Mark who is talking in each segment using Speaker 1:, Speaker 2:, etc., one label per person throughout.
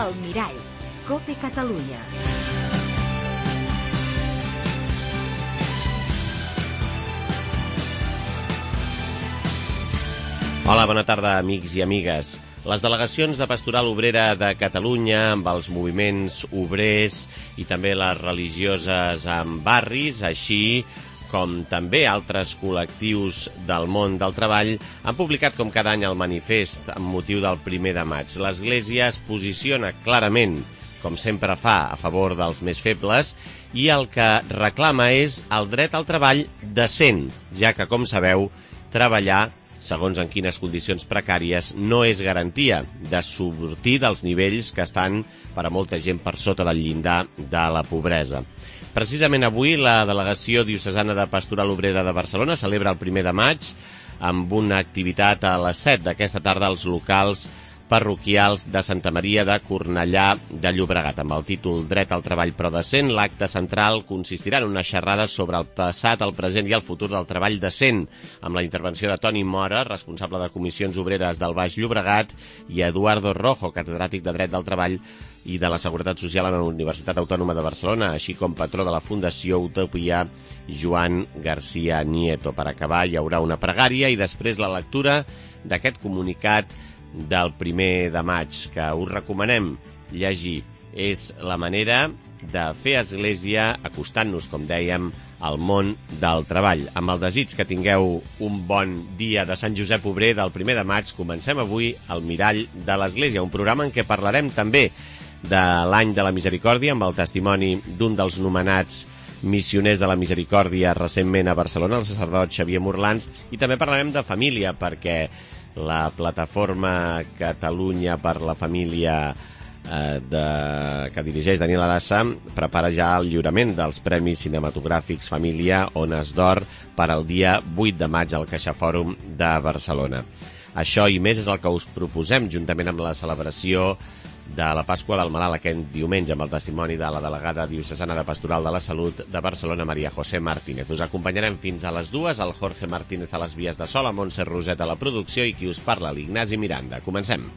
Speaker 1: El Mirall, COPE Catalunya.
Speaker 2: Hola, bona tarda, amics i amigues. Les delegacions de Pastoral Obrera de Catalunya, amb els moviments obrers i també les religioses en barris, així com també altres col·lectius del món del treball, han publicat com cada any el manifest amb motiu del 1 de maig. L'Església es posiciona clarament, com sempre fa, a favor dels més febles, i el que reclama és el dret al treball decent, ja que, com sabeu, treballar segons en quines condicions precàries, no és garantia de sortir dels nivells que estan per a molta gent per sota del llindar de la pobresa. Precisament avui la Delegació Diocesana de Pastoral Obrera de Barcelona celebra el 1 de maig amb una activitat a les 7 d'aquesta tarda als locals parroquials de Santa Maria de Cornellà de Llobregat. Amb el títol Dret al treball però decent, l'acte central consistirà en una xerrada sobre el passat, el present i el futur del treball decent, amb la intervenció de Toni Mora, responsable de Comissions Obreres del Baix Llobregat, i Eduardo Rojo, catedràtic de Dret del Treball i de la Seguretat Social a la Universitat Autònoma de Barcelona, així com patró de la Fundació Utopia, Joan García Nieto. Per acabar hi haurà una pregària i després la lectura d'aquest comunicat del 1 de maig, que us recomanem llegir. És la manera de fer església acostant-nos, com dèiem, al món del treball. Amb el desig que tingueu un bon dia de Sant Josep Obrer del 1 de maig, comencem avui el Mirall de l'Església, un programa en què parlarem també de l'any de la Misericòrdia, amb el testimoni d'un dels nomenats missioners de la Misericòrdia recentment a Barcelona, el sacerdot Xavier Morlans, i també parlarem de família, perquè la plataforma Catalunya per la Família que dirigeix Daniel Arassa prepara ja el lliurament dels Premis Cinematogràfics Família Ones d'Or per al dia 8 de maig al CaixaFòrum de Barcelona. Això i més és el que us proposem, juntament amb la celebració de la Pasqua del Malalt aquest diumenge, amb el testimoni de la delegada diocesana de Pastoral de la Salut de Barcelona, Maria José Martínez. Us acompanyarem fins a les 2, el Jorge Martínez a les vies de so, la Montse Roset a la producció i qui us parla, l'Ignasi Miranda. Comencem.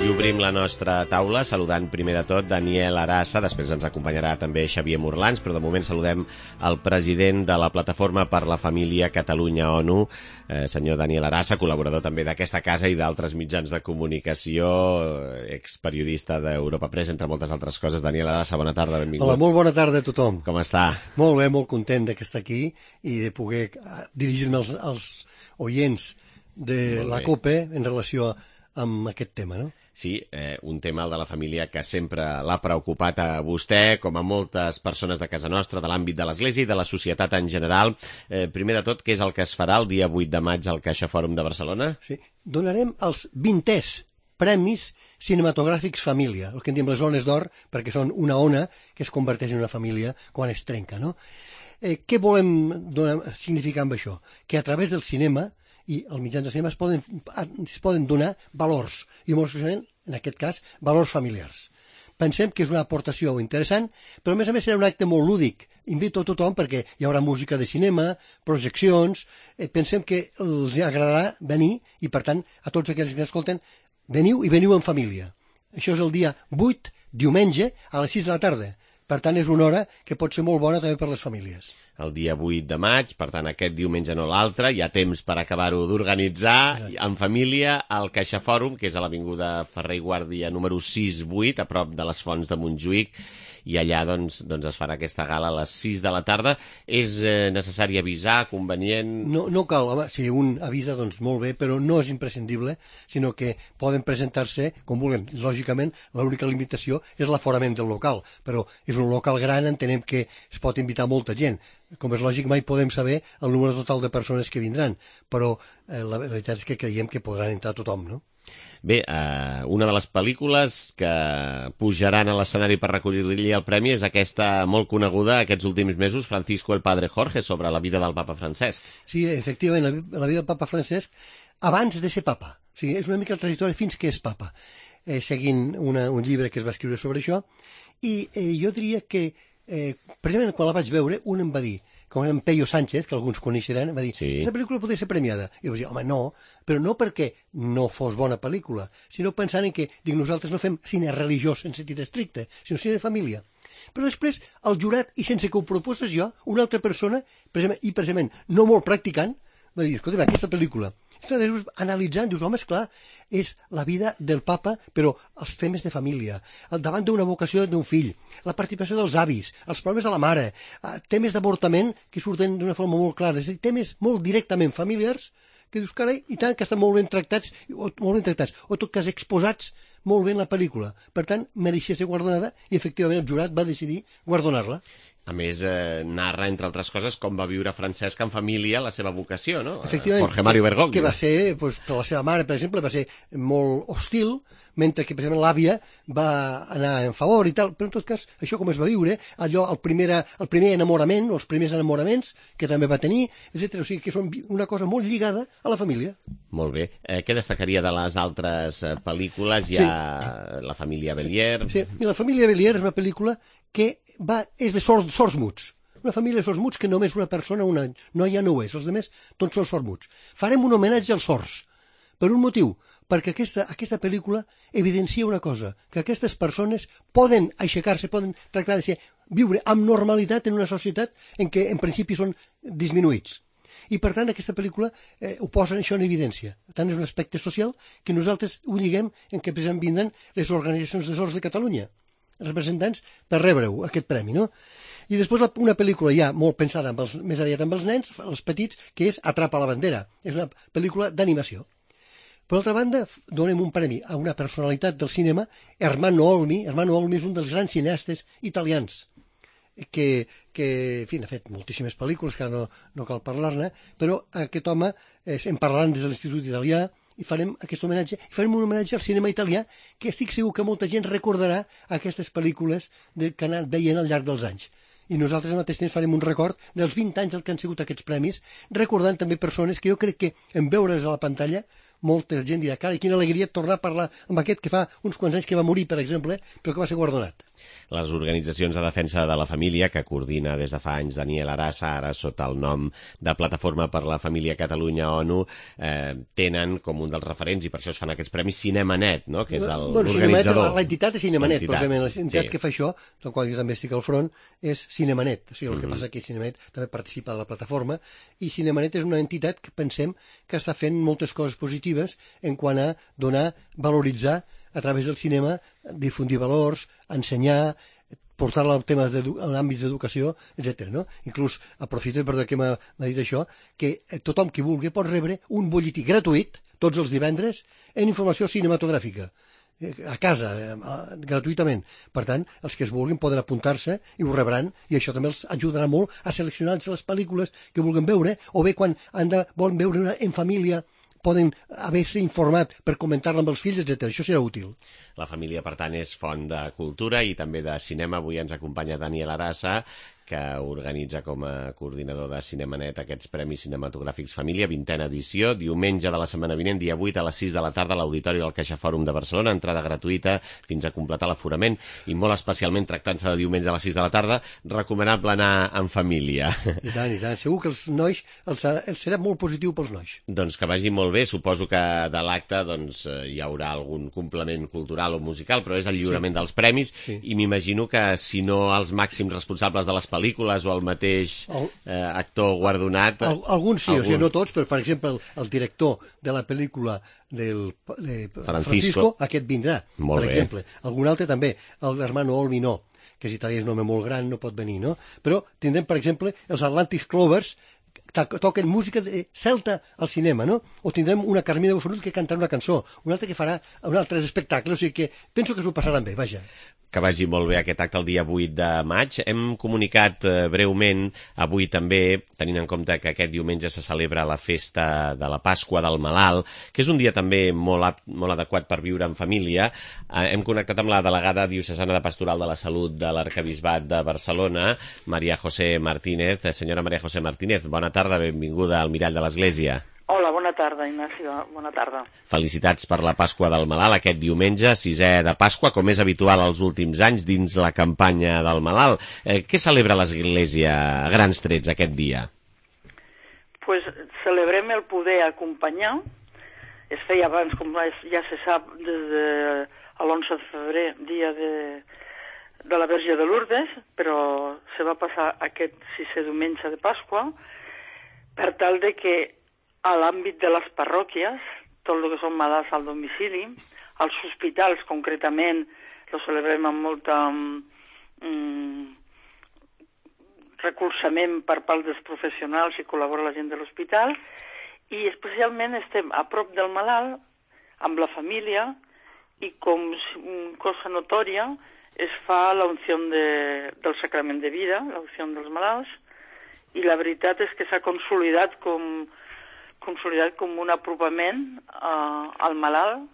Speaker 2: I obrim la nostra taula saludant primer de tot Daniel Arassa, després ens acompanyarà també Xavier Morlans, però de moment saludem el president de la Plataforma per la Família Catalunya-ONU, senyor Daniel Arassa, col·laborador també d'aquesta casa i d'altres mitjans de comunicació, experiodista d'Europa Press, entre moltes altres coses. Daniel Arassa, bona tarda, benvingut.
Speaker 3: Hola, molt bona tarda a tothom.
Speaker 2: Com està?
Speaker 3: Molt bé, molt content d'estar aquí i de poder dirigir-me als oients de la COPE en relació amb aquest tema, no?
Speaker 2: Sí, un tema, el de la família, que sempre l'ha preocupat a vostè, com a moltes persones de casa nostra, de l'àmbit de l'Església i de la societat en general. Primer de tot, què és el que es farà el dia 8 de maig al CaixaFòrum de Barcelona?
Speaker 3: Sí, donarem els 20è Premis Cinematogràfics Família, el que en diem les Ones d'Or, perquè són una ona que es converteix en una família quan es trenca, no? Què volem significar amb això? Que a través del cinema i els mitjans de cinema es poden donar valors, i molt especialment, en aquest cas, valors familiars. Pensem que és una aportació interessant, però a més serà un acte molt lúdic. Invito a tothom perquè hi haurà música de cinema, projeccions, pensem que els agradarà venir i, per tant, a tots aquells que escolten, veniu i veniu en família. Això és el dia 8, diumenge, a les 6 de la tarda. Per tant, és una hora que pot ser molt bona també per les famílies.
Speaker 2: El dia 8 de maig, per tant, aquest diumenge no l'altre, hi ha temps per acabar-ho d'organitzar en família al CaixaFòrum, que és a l'avinguda Ferrer i Guàrdia número 6-8, a prop de les Fonts de Montjuïc, i allà doncs es farà aquesta gala a les 6 de la tarda. És necessari avisar, convenient?
Speaker 3: No cal, home, si un avisa, doncs molt bé, però no és imprescindible, sinó que poden presentar-se com vulguin. Lògicament, l'única limitació és l'aforament del local, però és un local gran, entenem que es pot invitar molta gent. Com és lògic, mai podem saber el número total de persones que vindran, però la veritat és que creiem que podran entrar tothom, no?
Speaker 2: Bé, una de les pel·lícules que pujaran a l'escenari per recollir-li el premi és aquesta molt coneguda aquests últims mesos, Francisco el Padre Jorge, sobre la vida del papa Francesc.
Speaker 3: Sí, efectivament, la vida del papa Francesc abans de ser papa. O sigui, és una mica la trajectòria fins que és papa, seguint un llibre que es va escriure sobre això, i jo diria que precisament quan la vaig veure, un em va dir com en Peyo Sánchez, que alguns coneixeran, va dir,
Speaker 2: Sí.
Speaker 3: aquesta pel·lícula podria ser premiada. I jo vaig dir, home, no, però no perquè no fos bona pel·lícula, sinó pensant en que, dic, nosaltres no fem cine religiós en sentit estricte, sinó cine de família. Però després, el jurat, i sense que ho proposes jo, una altra persona, precisament no molt practicant, va dir, escolta, aquesta pel·lícula, analitzant, dius, home, esclar, és la vida del papa, però els temes de família, davant d'una vocació d'un fill, la participació dels avis, els problemes de la mare, temes d'avortament que surten d'una forma molt clara, és a dir, temes molt directament familiars, que dius, carai, i tant que estan molt ben tractats, o en tot cas exposats molt bé en la pel·lícula. Per tant, mereixia ser guardonada i efectivament el jurat va decidir guardonar-la.
Speaker 2: A més, narra, entre altres coses, com va viure Francesc en família la seva vocació, no?
Speaker 3: Efectivament.
Speaker 2: Jorge Mario Bergoglio.
Speaker 3: Que va ser, doncs, per la seva mare, per exemple, va ser molt hostil, mentre que, precisament, l'àvia va anar en favor i tal. Però, en tot cas, això com es va viure, allò, el primer enamorament, o els primers enamoraments que també va tenir, etc. O sigui, que són una cosa molt lligada a la família.
Speaker 2: Molt bé. Què destacaria de les altres pel·lícules? Hi ha La família Bélier.
Speaker 3: Sí, i La família Bélier és una pel·lícula que és de sords muts. Una família de sords muts que només una persona, una noia no ho és. Els altres tots són sords muts. Farem un homenatge als sords. Per un motiu, perquè aquesta pel·lícula evidencia una cosa, que aquestes persones poden aixecar-se, poden tractar de viure amb normalitat en una societat en què en principi són disminuïts. I per tant aquesta pel·lícula ho posa això en evidència. Tant és un aspecte social que nosaltres ho lliguem en què precisament vindran les organitzacions de sords de Catalunya, representants per rebre-ho, aquest premi, no? I després una pel·lícula ja molt pensada més aviat amb els nens, els petits, que és Atrapa la bandera. És una pel·lícula d'animació. Per altra banda, donem un premi a una personalitat del cinema, Ermanno Olmi. Ermanno Olmi és un dels grans cineastes italians que en fi, ha fet moltíssimes pel·lícules, que ara no cal parlar-ne, però aquest home, en parlant des de l'Institut Italià, i farem aquest homenatge, i farem un homenatge al cinema italià, que estic segur que molta gent recordarà aquestes pel·lícules que han anat veient al llarg dels anys. I nosaltres al mateix temps farem un record dels 20 anys que han sigut aquests premis, recordant també persones que jo crec que en veure's a la pantalla molta gent dirà, cara, quina alegria tornar a parlar amb aquest que fa uns quants anys que va morir, per exemple, però que va ser guardonat.
Speaker 2: Les organitzacions de defensa de la família, que coordina des de fa anys Daniel Arasa, ara sota el nom de Plataforma per la Família Catalunya ONU, tenen com un dels referents, i per això es fan aquests premis, Cinemanet, no? Que és l'organitzador.
Speaker 3: L'entitat és Cinemanet, pròpiament. L'entitat que fa això, del qual jo també estic al front, és Cinemanet. O sigui, el que passa que Cinemanet també participa de la plataforma, i Cinemanet és una entitat que pensem que està fent moltes coses positives en quant a donar, valoritzar a través del cinema, difundir valors, ensenyar, portar-la a temes en àmbits d'educació, etc. No? Inclús, aprofito, perdó que m'ha dit això, que tothom qui vulgui pot rebre un butlletí gratuït, tots els divendres, en informació cinematogràfica, a casa, gratuïtament. Per tant, els que es vulguin poden apuntar-se i ho rebran, i això també els ajudarà molt a seleccionar les pel·lícules que vulguin veure, o bé quan volen veure en família, poden haver-se informat per comentar-la amb els fills, etc. Això serà útil.
Speaker 2: La família, per tant, és font de cultura i també de cinema. Avui ens acompanya Daniel Arasa, que organitza com a coordinador de Cinemanet aquests Premis Cinematogràfics Família, 20a edició, diumenge de la setmana vinent, dia 8 a les 6 de la tarda, a l'Auditori del CaixaFòrum de Barcelona, entrada gratuïta fins a completar l'aforament, i molt especialment tractant-se de diumenge a les 6 de la tarda, recomanable anar en família.
Speaker 3: I tant, i tant. Segur que els nois, els serà molt positiu pels nois.
Speaker 2: Doncs que vagi molt bé. Suposo que de l'acte hi haurà algun complement cultural o musical, però és el lliurament dels premis, i m'imagino que si no els màxims responsables de les pel·lícules o el mateix actor guardonat...
Speaker 3: Alguns sí, o sigui, no tots, però per exemple el director de la pel·lícula de Francisco, aquest vindrà, per exemple. Algun altre també, l'Hermano Olmi no, que és italià, és un home molt gran, no pot venir, no? Però tindrem, per exemple, els Atlantic Clovers, toquen música celta al cinema, no? O tindrem una Carmina Bufarull que cantarà una cançó, un altre que farà un altre espectacle, o sigui que penso que s'ho passaran bé, vaja.
Speaker 2: Que vagi molt bé aquest acte el dia 8 de maig. Hem comunicat breument avui també, tenint en compte que aquest diumenge se celebra la festa de la Pasqua del Malalt, que és un dia també molt adequat per viure en família. Hem connectat amb la delegada diocesana de Pastoral de la Salut de l'Arquebisbat de Barcelona, María José Martínez. Senyora María José Martínez, bona tarda, benvinguda al Mirall de l'Església.
Speaker 4: Hola, bona tarda, Ignacio, bona tarda.
Speaker 2: Felicitats per la Pasqua del Malalt, aquest diumenge, 6è de Pasqua, com és habitual els últims anys dins la campanya del Malalt. Què celebra l'Església a grans trets aquest dia?
Speaker 4: Pues celebrem el poder acompanyar. Es feia abans, com ja se sap, des de l'11 de febrer, dia de la Verge de Lourdes, però se va passar aquest 6è diumenge de Pasqua per tal de que a l'àmbit de les parròquies, tot el que són malalts al domicili, als hospitals concretament, lo celebrem amb molta recolzament per part dels professionals i col·labora la gent de l'hospital, i especialment estem a prop del malalt, amb la família, i com cosa notòria es fa l'unció del sacrament de vida, l'unció dels malalts, i la veritat és que s'ha consolidat com un apropament al malalt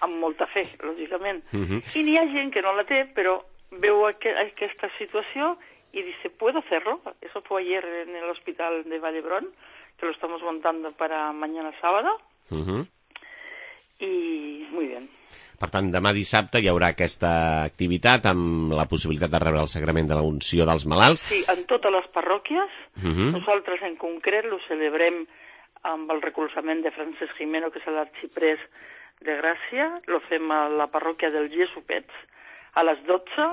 Speaker 4: amb molta fe, lògicament. I n'hi ha gent que no la té, però veu aquesta situació y dice, ¿puedo hacerlo? Eso fue ayer en el hospital de Vallebrón, que lo estamos montando para mañana sábado. I muy bien.
Speaker 2: Per tant, demà dissabte hi haurà aquesta activitat amb la possibilitat de rebre el sagrament de la unció dels malalts.
Speaker 4: Sí, en totes les parròquies. Nosaltres en concret lo celebrem amb el recolzament de Francesc Jimeno, que és l'arxiprés de Gràcia. Lo fem a la parròquia del Jesupets a les 12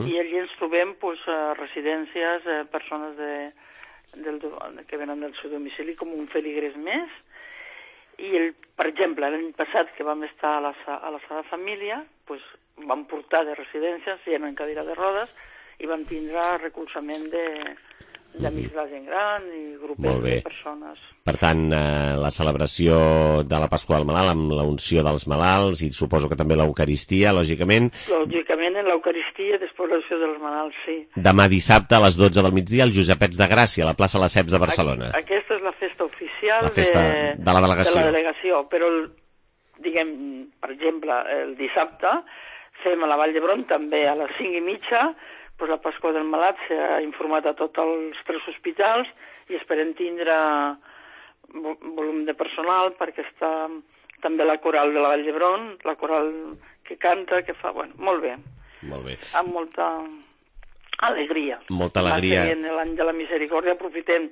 Speaker 4: i allí ens trobem residències, persones que venen del seu domicili com un feligrés més. I, per exemple, l'any passat, que vam estar a la Sagrada Família, vam portar de residències, gent en cadira de rodes, i vam tindre recolzament d'amics de la gent gran i grupets de persones.
Speaker 2: Per tant, la celebració de la Pasqua del Malalt amb la unció dels malalts i suposo que també l'Eucaristia, lògicament.
Speaker 4: Lògicament, en l'Eucaristia, després l'unció dels malalts, sí.
Speaker 2: Demà dissabte a les 12 del migdia al Josepets de Gràcia, a la plaça Lesseps de Barcelona.
Speaker 4: Aquesta és la festa oficial
Speaker 2: la festa de la
Speaker 4: delegació. Però, diguem, per exemple, el dissabte fem a la Vall d'Hebron també a les 5:30, la Pasqua del Malalt s'ha informat a tots els 3 hospitals i esperem tindre volum de personal perquè està també la coral de la Vall d'Hebron, la coral que canta, que fa, molt bé.
Speaker 2: Molt bé.
Speaker 4: Amb molta alegria.
Speaker 2: Molta alegria.
Speaker 4: En l'any de la misericòrdia aprofitem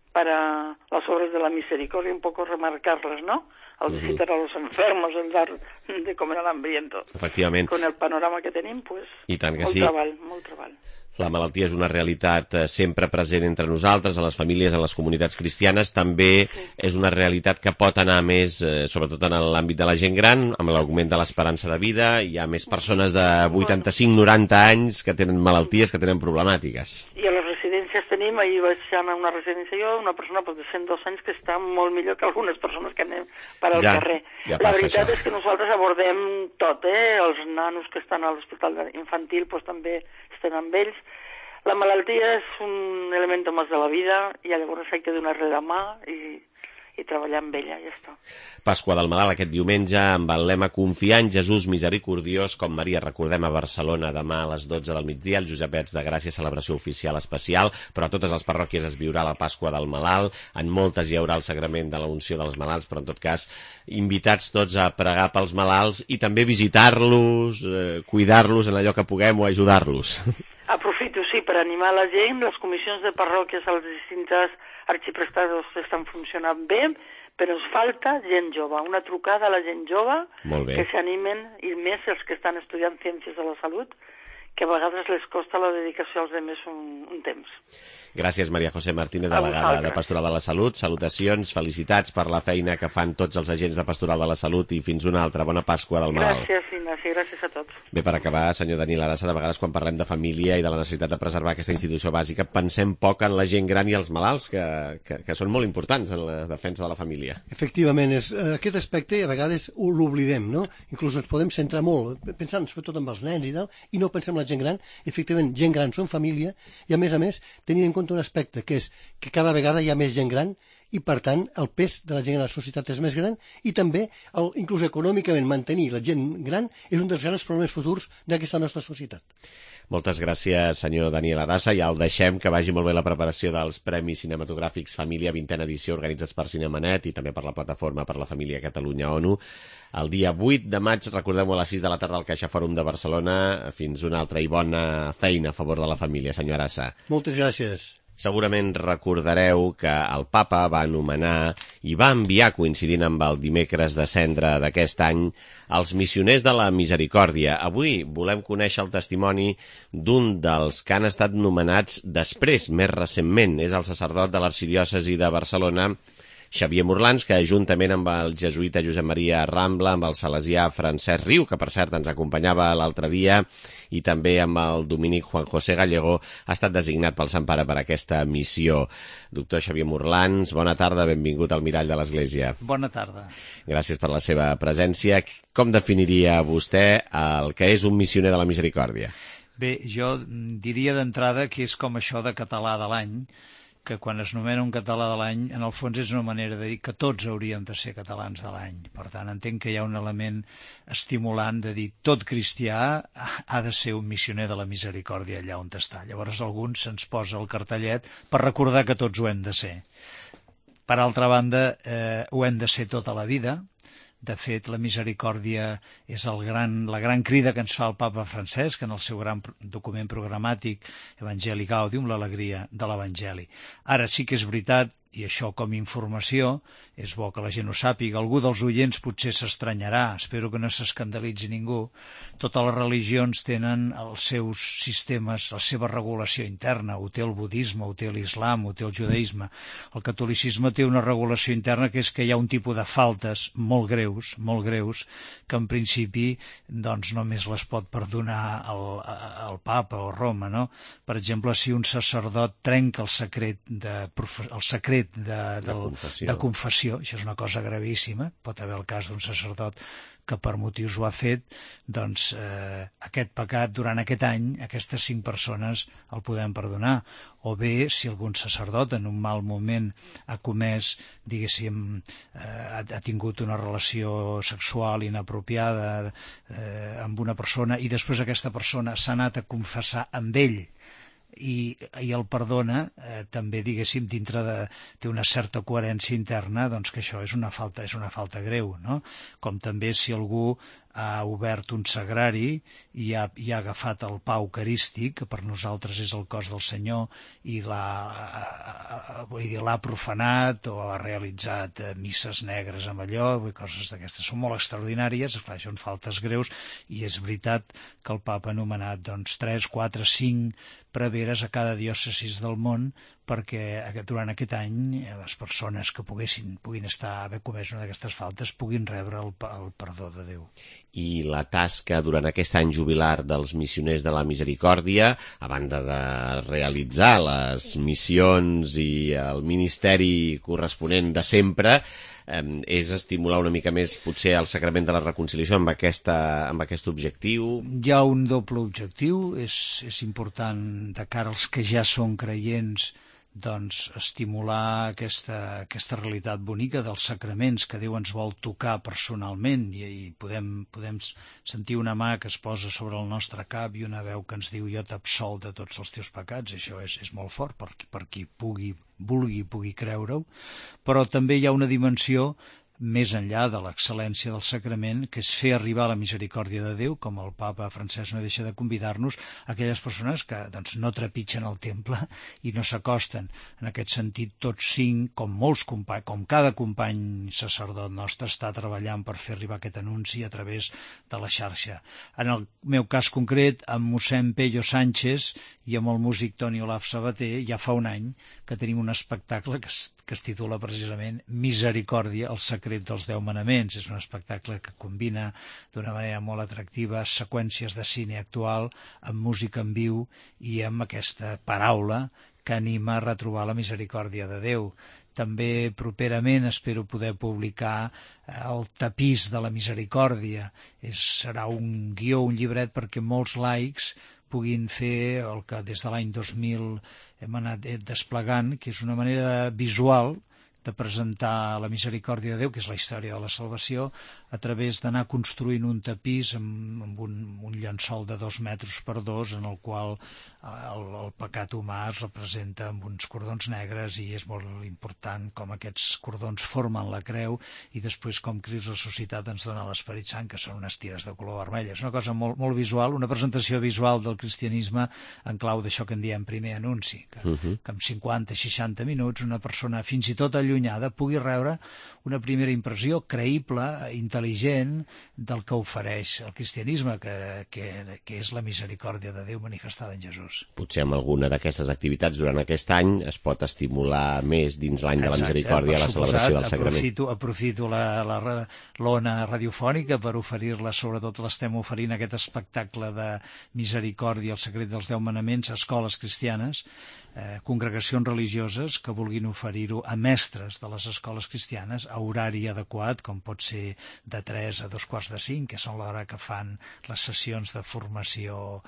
Speaker 4: para las obras de la misericordia un poco remarcarlas, ¿no? Al visitar a los enfermos, el dar de comer al hambriento.
Speaker 2: Efectivament.
Speaker 4: Con el panorama que tenim,
Speaker 2: I tant que sí.
Speaker 4: Molt treball.
Speaker 2: La malaltia és una realitat sempre present entre nosaltres, a les famílies, en les comunitats cristianes. També és una realitat que pot anar més, sobretot en l'àmbit de la gent gran, amb l'augment de l'esperança de vida. Hi ha més persones de 85-90 anys que tenen malalties, que tenen problemàtiques.
Speaker 4: I a les residències tenim, ahir vaig anar a una residència jo, una persona de 102 anys que està molt millor que algunes persones que anem per al carrer. La veritat és que nosaltres abordem tot, els nanos que estan a l'hospital infantil també estem amb ells. La malaltia és un element més de la vida i llavors hay que donar-li la mà i treballar amb ella, ja està.
Speaker 2: Pasqua del Malalt aquest diumenge amb el lema Confiar en Jesús misericordiós, com Maria recordem a Barcelona demà a les 12 del migdia, el Josepets de Gràcia, celebració oficial especial, però a totes les parròquies es viurà la Pasqua del Malalt, en moltes hi haurà el sagrament de la unció dels malalts, però en tot cas invitats tots a pregar pels malalts i també visitar-los, cuidar-los en allò que puguem o ajudar-los.
Speaker 4: Aprofito, sí, per animar la gent. Les comissions de parròquies a les distintes arxiprestades estan funcionant bé, però ens falta gent jove, una trucada a la gent jove que s'animen, i més els que estan estudiant ciències de la salut, que a vegades les costa la dedicació als altres un temps.
Speaker 2: Gràcies, Maria José Martínez, delegada de Pastoral de la Salut. Salutacions, felicitats per la feina que fan tots els agents de Pastoral de la Salut i fins una altra. Bona Pasqua del Malalt.
Speaker 4: Gràcies, Ignasi, gràcies a tots.
Speaker 2: Bé, per acabar, senyor Daniel Arassa, de vegades quan parlem de família i de la necessitat de preservar aquesta institució bàsica, pensem poc en la gent gran i els malalts, que són molt importants en la defensa de la família.
Speaker 3: Efectivament, aquest aspecte a vegades l'oblidem, no? Inclús ens podem centrar molt, pensant sobretot en els nens i tal, i no pensem en la gent gran. Efectivament, gent gran són família, i a més, tenint en compte un aspecte que és que cada vegada hi ha més gent gran i, per tant, el pes de la gent a la societat és més gran i també, inclús econòmicament, mantenir la gent gran és un dels grans problemes futurs d'aquesta nostra societat.
Speaker 2: Moltes gràcies, senyor Daniel Arassa. Ja el deixem, que vagi molt bé la preparació dels Premis Cinematogràfics Família, 20a edició, organitzats per Cinemanet i també per la Plataforma per la Família Catalunya ONU. El dia 8 de maig, recordem-ho, a les 6 de la tarda al Caixa Fòrum de Barcelona. Fins una altra i bona feina a favor de la família, senyor Arassa.
Speaker 3: Moltes gràcies.
Speaker 2: Segurament recordareu que el papa va anomenar i va enviar, coincidint amb el dimecres de Cendra d'aquest any, els missioners de la misericòrdia. Avui volem conèixer el testimoni d'un dels que han estat nomenats després, més recentment. És el sacerdot de l'arxidiòcesi de Barcelona, Xavier Morlans, que juntament amb el jesuïta Josep Maria Rambla, amb el salesià Francesc Riu, que per cert ens acompanyava l'altre dia, i també amb el dominic Juan José Gallego, ha estat designat pel Sant Pare per aquesta missió. Doctor Xavier Morlans, bona tarda, benvingut al Mirall de l'Església.
Speaker 5: Bona tarda.
Speaker 2: Gràcies per la seva presència. Com definiria vostè el que és un missioner de la misericòrdia?
Speaker 5: Bé, jo diria d'entrada que és com això de català de l'any, que quan es nomena un català de l'any, en el fons és una manera de dir que tots hauríem de ser catalans de l'any. Per tant, entenc que hi ha un element estimulant de dir tot cristià ha de ser un missioner de la misericòrdia allà on està. Llavors alguns se'ns posa el cartellet per recordar que tots ho hem de ser. Per altra banda, ho hem de ser tota la vida. De fet, la misericòrdia és la gran crida que ens fa el papa Francesc en el seu gran document programàtic Evangelii Gaudium, l'alegria de l'Evangeli. Ara sí que és veritat, i això com a informació, és bo que la gent ho sàpiga, algú dels oients potser s'estranyarà, espero que no s'escandalitzi ningú, totes les religions tenen els seus sistemes, la seva regulació interna, ho té el budisme, ho té l'islam, ho té el judaïsme. El catolicisme té una regulació interna que és que hi ha un tipus de faltes molt greus, que en principi doncs només les pot perdonar el papa o Roma, no? Per exemple, si un sacerdot trenca el secret de confessió, això és una cosa gravíssima, pot haver el cas d'un sacerdot que per motius ho ha fet, doncs aquest pecat durant aquest any, aquestes 5 persones el podem perdonar. O bé, si algun sacerdot en un mal moment ha comès, diguéssim, ha tingut una relació sexual inapropiada amb una persona i després aquesta persona s'ha anat a confessar amb ell i el perdona, també, diguéssim, té una certa coherència interna, doncs que això és una falta greu, no? Com també si algú ha obert un sagrari i ha agafat el pa eucarístic, que per nosaltres és el cos del Senyor, i l'ha profanat o ha realitzat misses negres amb allò, coses d'aquestes són molt extraordinàries, esclar, això són faltes greus, i és veritat que el papa ha nomenat 3, 4, 5 preveres a cada diòcesis del món perquè durant aquest any les persones que puguin haver comès una d'aquestes faltes puguin rebre el perdó de Déu.
Speaker 2: I la tasca durant aquest any jubilar dels missioners de la misericòrdia, a banda de realitzar les missions i el ministeri corresponent de sempre, és estimular una mica més potser el sacrament de la reconciliació amb aquest objectiu?
Speaker 5: Hi ha un doble objectiu, és important de cara als que ja són creients, doncs estimular aquesta realitat bonica dels sacraments que Déu ens vol tocar personalment i podem sentir una mà que es posa sobre el nostre cap i una veu que ens diu jo t'absol de tots els teus pecats. Això és molt fort per qui pugui creure-ho, però també hi ha una dimensió més enllà de l'excel·lència del sacrament, que és fer arribar la misericòrdia de Déu, com el papa Francesc no deixa de convidar-nos, a aquelles persones que no trepitgen el temple i no s'acosten. En aquest sentit, tots 5, com cada company sacerdot nostre, està treballant per fer arribar aquest anunci a través de la xarxa. En el meu cas concret, amb mossèn Pello Sánchez i amb el músic Toni Olaf Sabater, ja fa un any que tenim un espectacle que es titula precisament Misericòrdia, el secret dels 10 manaments. És un espectacle que combina d'una manera molt atractiva seqüències de cine actual amb música en viu i amb aquesta paraula que anima a retrobar la misericòrdia de Déu. També properament espero poder publicar el tapís de la misericòrdia. Serà un guió, un llibret perquè molts laics puguin fer el que des de l'any 2000 hem anat desplegant, que és una manera visual de presentar la misericòrdia de Déu, que és la història de la salvació, a través d'anar construint un tapís amb un llençol de 2 metres per 2, en el qual el pecat humà es representa amb uns cordons negres, i és molt important com aquests cordons formen la creu, i després com Crist ressuscitat ens dona l'Esperit Sant, que són unes tires de color vermell. És una cosa molt, molt visual, una presentació visual del cristianisme en clau d'això que en diem primer anunci, que en 50-60 minuts una persona fins i tot allunyada pugui rebre una primera impressió creïble, intel·ligent, del que ofereix el cristianisme, que és la misericòrdia de Déu manifestada en Jesús.
Speaker 2: Potser amb alguna d'aquestes activitats durant aquest any es pot estimular més dins l'any de la misericòrdia la celebració del sagrament.
Speaker 5: Aprofito l'ona radiofònica per oferir-la, sobretot l'estem oferint aquest espectacle de misericòrdia, el secret dels 10 manaments, a escoles cristianes, congregacions religioses que vulguin oferir-ho a mestres de les escoles cristianes a horari adequat, com pot ser de 3 a 2:45, que són l'hora que fan les sessions de formació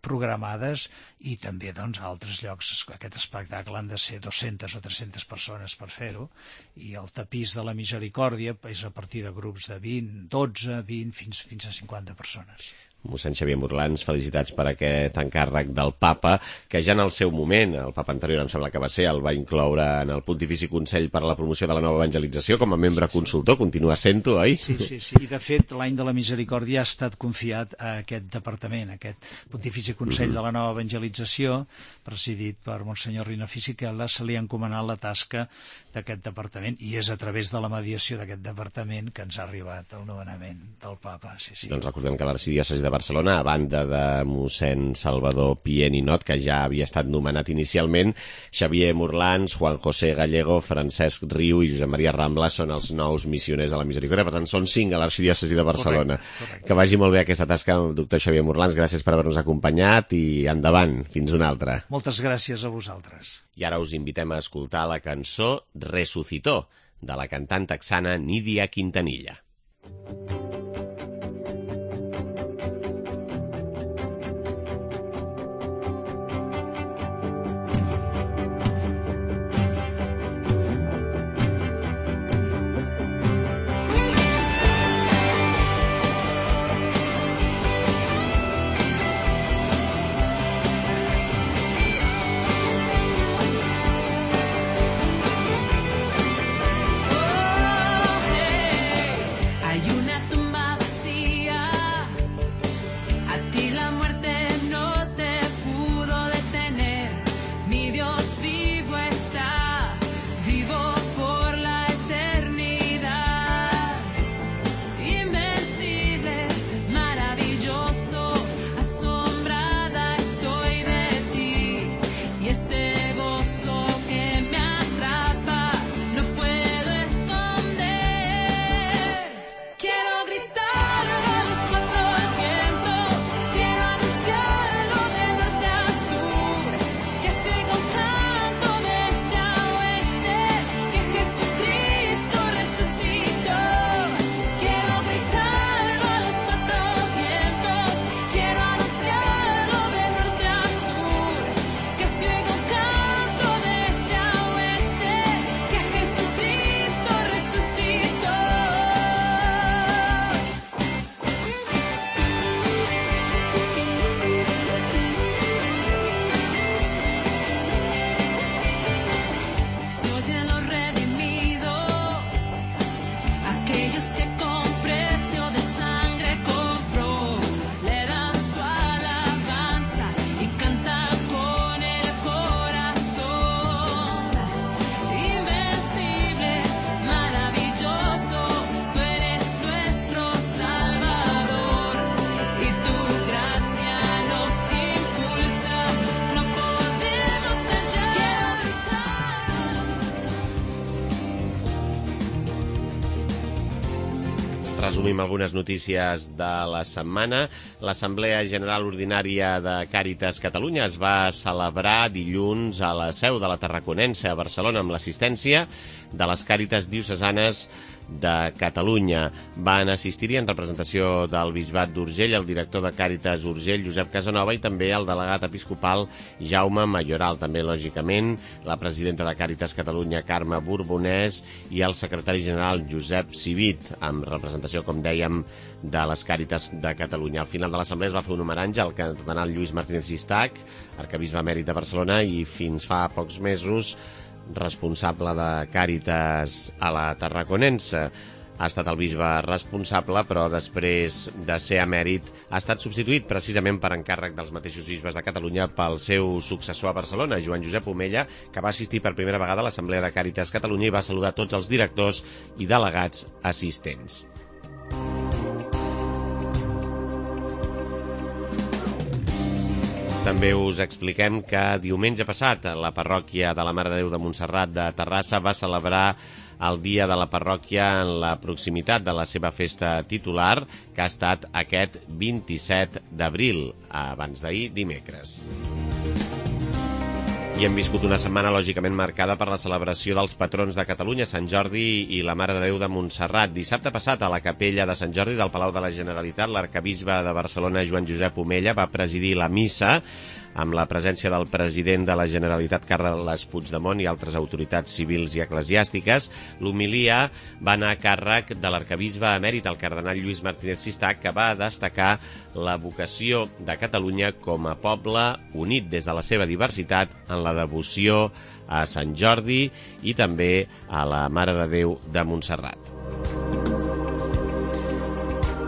Speaker 5: programades, i també doncs, a altres llocs. Aquest espectacle han de ser 200 o 300 persones per fer-ho, i el tapís de la misericòrdia és a partir de grups de 20, 12, 20, fins a 50 persones.
Speaker 2: Mossèn Xavier Morlans, felicitats per aquest encàrrec del papa, que ja en el seu moment, el papa anterior em sembla que va ser, el va incloure en el Pontifici Consell per a la Promoció de la Nova Evangelització com a membre consultor, continua sent-ho, oi?
Speaker 5: Sí, i de fet l'any de la misericòrdia ha estat confiat a aquest departament, a aquest Pontifici Consell de la Nova Evangelització, presidit per Monsenyor Rino Fisichella. Se li ha encomanat la tasca d'aquest departament, i és a través de la mediació d'aquest departament que ens ha arribat el nomenament del papa. Sí.
Speaker 2: Doncs recordem que l'arxidiòcesi de Barcelona, a banda de mossèn Salvador Pié Ninot, que ja havia estat nomenat inicialment, Xavier Morlans, Juan José Gallego, Francesc Riu i Josep Maria Rambla són els nous missioners de la misericòrdia. Per tant, són 5 a l'arxidiòcesi de Barcelona.
Speaker 5: Correcte.
Speaker 2: Que vagi molt bé aquesta tasca amb el doctor Xavier Morlans. Gràcies per haver-nos acompanyat i endavant. Fins una altra.
Speaker 5: Moltes gràcies a vosaltres.
Speaker 2: I ara us invitem a escoltar la cançó Resucitó, de la cantant texana Nidia Quintanilla. Resumim algunes notícies de la setmana. L'Assemblea General Ordinària de Càritas Catalunya es va celebrar dilluns a la seu de la Tarraconense a Barcelona amb l'assistència de les Càritas diocesanes de Catalunya. Van assistir-hi en representació del Bisbat d'Urgell el director de Càritas Urgell, Josep Casanova, i també el delegat episcopal Jaume Mayoral, també, lògicament, la presidenta de Càritas Catalunya, Carme Borbonès, i el secretari general, Josep Civit, amb representació, com dèiem, de les Càritas de Catalunya. Al final de l'assemblea es va fer un homenatge al cardenal Lluís Martínez Gistac, arquebisbe emèrit de Barcelona i fins fa pocs mesos responsable de Càritas a la Tarraconense. Ha estat el bisbe responsable, però després de ser emèrit ha estat substituït precisament per encàrrec dels mateixos bisbes de Catalunya pel seu successor a Barcelona, Joan Josep Omella, que va assistir per primera vegada a l'Assemblea de Càritas Catalunya i va saludar tots els directors i delegats assistents. També us expliquem que diumenge passat la parròquia de la Mare de Déu de Montserrat de Terrassa va celebrar el dia de la parròquia en la proximitat de la seva festa titular, que ha estat aquest 27 d'abril, abans d'ahir, dimecres. I hem viscut una setmana, lògicament, marcada per la celebració dels patrons de Catalunya, Sant Jordi i la Mare de Déu de Montserrat. Dissabte passat, a la capella de Sant Jordi del Palau de la Generalitat, l'arquebisbe de Barcelona, Joan Josep Omella, va presidir la missa amb la presència del president de la Generalitat, Carles Puigdemont, i altres autoritats civils i eclesiàstiques. L'homilia va anar a càrrec de l'arquebisbe emèrit, el cardenal Lluís Martínez Gistac, que va destacar la vocació de Catalunya com a poble unit des de la seva diversitat en la devoció a Sant Jordi i també a la Mare de Déu de Montserrat.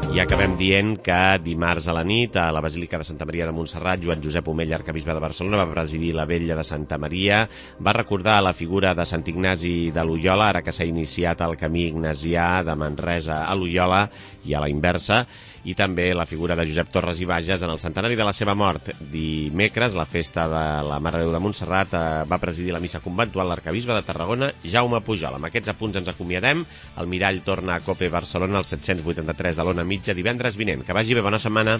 Speaker 2: I acabem dient que dimarts a la nit, a la Basílica de Santa Maria de Montserrat, Joan Josep Omella, arquebisbe de Barcelona, va presidir la vetlla de Santa Maria, va recordar la figura de Sant Ignasi de Loyola, ara que s'ha iniciat el camí ignasià de Manresa a Loyola i a la inversa, i també la figura de Josep Torres i Bages en el centenari de la seva mort. Dimecres, la festa de la Mare de Déu de Montserrat, va presidir la missa conventual l'arquebisbe de Tarragona, Jaume Pujol. Amb aquests apunts ens acomiadem. El mirall torna a COPE Barcelona al 783 de l'Ona Mitja divendres vinent. Que vagi bé, bona setmana.